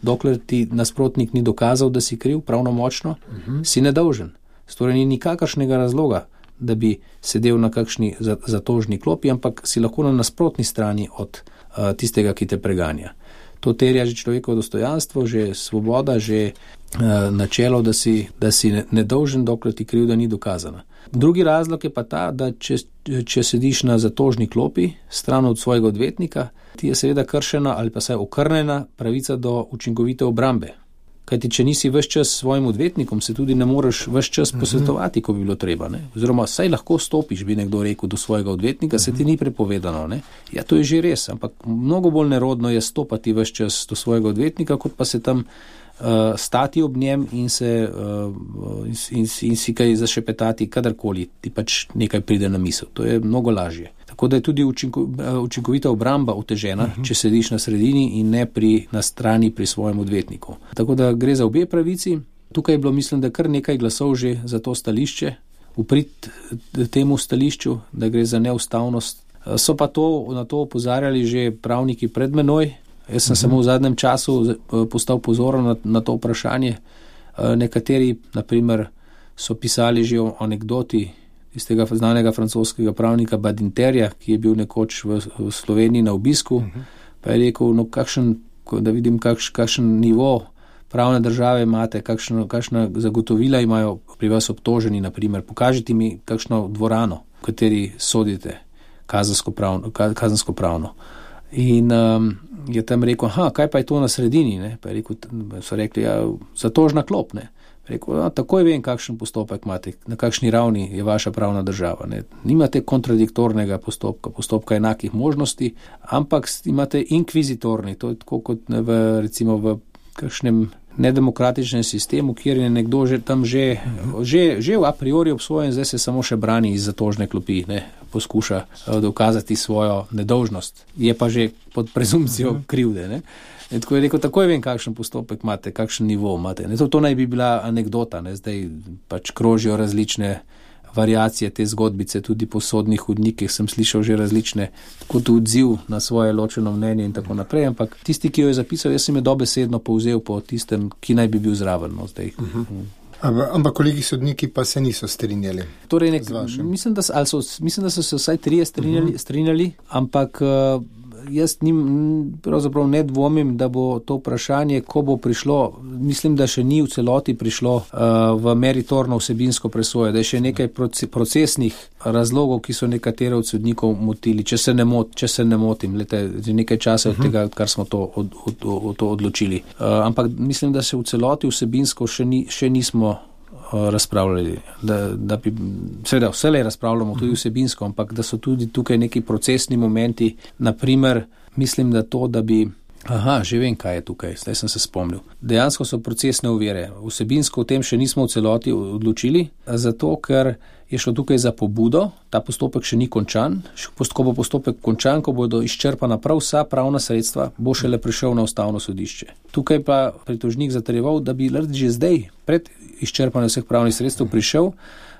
Dokler ti nasprotnik ni dokazal, da si kriv pravnomočno, uh-huh. si nedolžen. Torej ni nikakršnega razloga, da bi sedel na kakšni zatožni klopi, ampak si lahko na nasprotni strani od uh, tistega, ki te preganja. To terja že človekovo dostojanstvo, že svoboda, že uh, načelo, da si, da si nedolžen, dokler ti krivda ni dokazana. Drugi razlog je pa ta, da če, če sediš na zatožni klopi, stran od svojega odvetnika, ti je seveda kršena ali pa saj okrnjena pravica do učinkovite obrambe. Kajti, če nisi ves čas s svojim odvetnikom, se tudi ne moreš ves čas posvetovati, ko bi bilo treba. Ne? Oziroma, saj lahko stopiš, bi nekdo rekel, do svojega odvetnika, se ti ni prepovedano. Ne? Ja, to je že res, ampak mnogo bolj nerodno je stopati ves čas do svojega odvetnika, kot pa se tam uh, stati ob njem in, se, uh, in, in, in si kaj zašepetati, kadarkoli ti pač nekaj pride na misel. To je mnogo lažje. Tako da je tudi učinko, učinkovita obramba otežena, uh-huh. če sediš na sredini in ne pri, na strani pri svojem odvetniku. Tako da gre za obe pravici. Tukaj je bilo, mislim, da kar nekaj glasov že za to stališče, v prid temu stališču, da gre za neustavnost. So pa to, na to opozarjali že pravniki pred menoj. Jaz sem uh-huh. samo v zadnjem času postal pozoren na, na to vprašanje. Nekateri, na primer, so pisali že o anekdoti iz tega znanega francoskega pravnika Badinterja, ki je bil nekoč v, v Sloveniji na obisku, uh-huh. pa je rekel, no kakšen, da vidim, kakš, kakšen nivo pravne države imate, kakšno, kakšna zagotovila imajo pri vas obtoženi, na primer, pokažite mi kakšno dvorano, v kateri sodite kazensko pravno. Kazensko pravno. In um, je tam rekel, aha, kaj pa je to na sredini, ne? Pa je rekel, so rekli, ja, zatožna klop, ne? Rekel, no, takoj vem, kakšen postopek imate, na kakšni ravni je vaša pravna država. Ne. Nimate kontradiktornega postopka, postopka enakih možnosti, ampak imate inkvizitorni, to je tako kot v, recimo v kakšnem nedemokratičnem sistemu, kjer je nekdo že tam že, že, že a priori obsojen, zdaj se samo še brani iz zatožne klopi, ne, poskuša dokazati svojo nedolžnost. Je pa že pod prezumpcijo krivde, ne. In tako je rekel, takoj vem, kakšen postopek imate, kakšen nivo imate. Ne, to, to naj bi bila anekdota, ne, zdaj pač krožijo različne variacije te zgodbice, tudi po sodnih hodnikih sem slišal že različne, kot odziv na svoje ločeno mnenje in tako naprej, ampak tisti, ki jo je zapisal, jaz sem je dobesedno povzel po tistem, ki naj bi bil zraven. No, zdaj. Uh-huh. Ampak kolegi sodniki pa se niso strinjali. Torej nek, mislim, da so, mislim, da so se vsaj trije strinjali, uh-huh. strinjali ampak uh, jaz nim, pravzaprav ne dvomim, da bo to vprašanje, ko bo prišlo, mislim, da še ni v celoti prišlo uh, v meritorno vsebinsko presojo, da je še nekaj procesnih razlogov, ki so nekatere od sodnikov motili, če se ne, mot, če se ne motim, lete, nekaj časa od tega, kar smo to, od, od, od, to odločili. Uh, ampak mislim, da se v celoti vsebinsko še, ni, še nismo razpravljali, da, da bi, seveda vselej razpravljamo tudi vsebinsko, ampak da so tudi tukaj neki procesni momenti, naprimer, mislim, da to, da bi, aha, že vem, kaj je tukaj, zdaj sem se spomnil. Dejansko so procesne ovire, vsebinsko o tem še nismo v celoti odločili, zato, ker je šlo tukaj za pobudo, ta postopek še ni končan, ko bo postopek končan, ko bodo izčrpana prav vsa pravna sredstva, bo šele prišel na ustavno sodišče. Tukaj pa pritožnik zatrjeval, da bi že zdaj, pred izčrpanjem vseh pravnih sredstev, prišel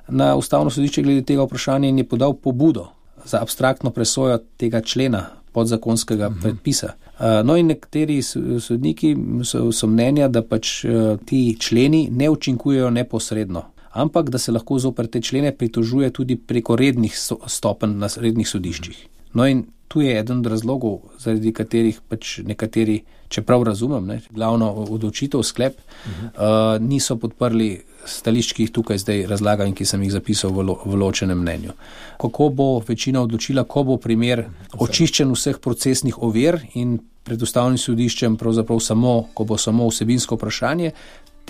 na ustavno sodišče glede tega vprašanja in je podal pobudo za abstraktno presojo tega člena podzakonskega uh-huh. predpisa. No in nekateri sodniki so, so mnenja, da pač ti členi ne učinkujejo neposredno, ampak da se lahko zoper te člene pritožuje tudi preko rednih stopenj na rednih sodiščih. No in tu je eden od razlogov, zaradi katerih pač nekateri, čeprav razumem, ne, glavno odločitev, sklep, uh-huh. uh, niso podprli stališč, ki jih tukaj zdaj razlagam in ki sem jih zapisal v, lo, v ločenem mnenju. Kako bo večina odločila, ko bo primer očiščen vseh procesnih ovir in pred ustavnim sodiščem pravzaprav samo, ko bo samo vsebinsko vprašanje,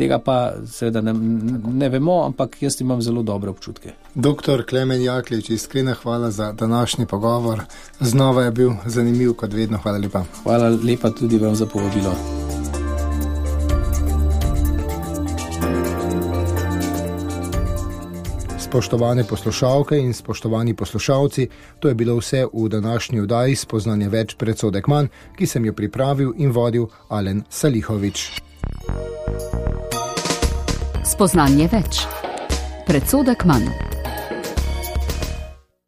tega pa seveda ne, ne vemo, ampak jaz imam zelo dobre občutke. Doktor Klemen Jaklič, iskrena hvala za današnji pogovor. Znova je bil zanimiv kot vedno. Hvala lepa. Hvala lepa tudi vam za povabilo. Spoštovane poslušalke in spoštovani poslušalci, to je bilo vse v današnji oddaji Spoznanje več, predsodek manj, ki sem jo pripravil in vodil Alen Salihovič. Spoznanje več, predsodek manj.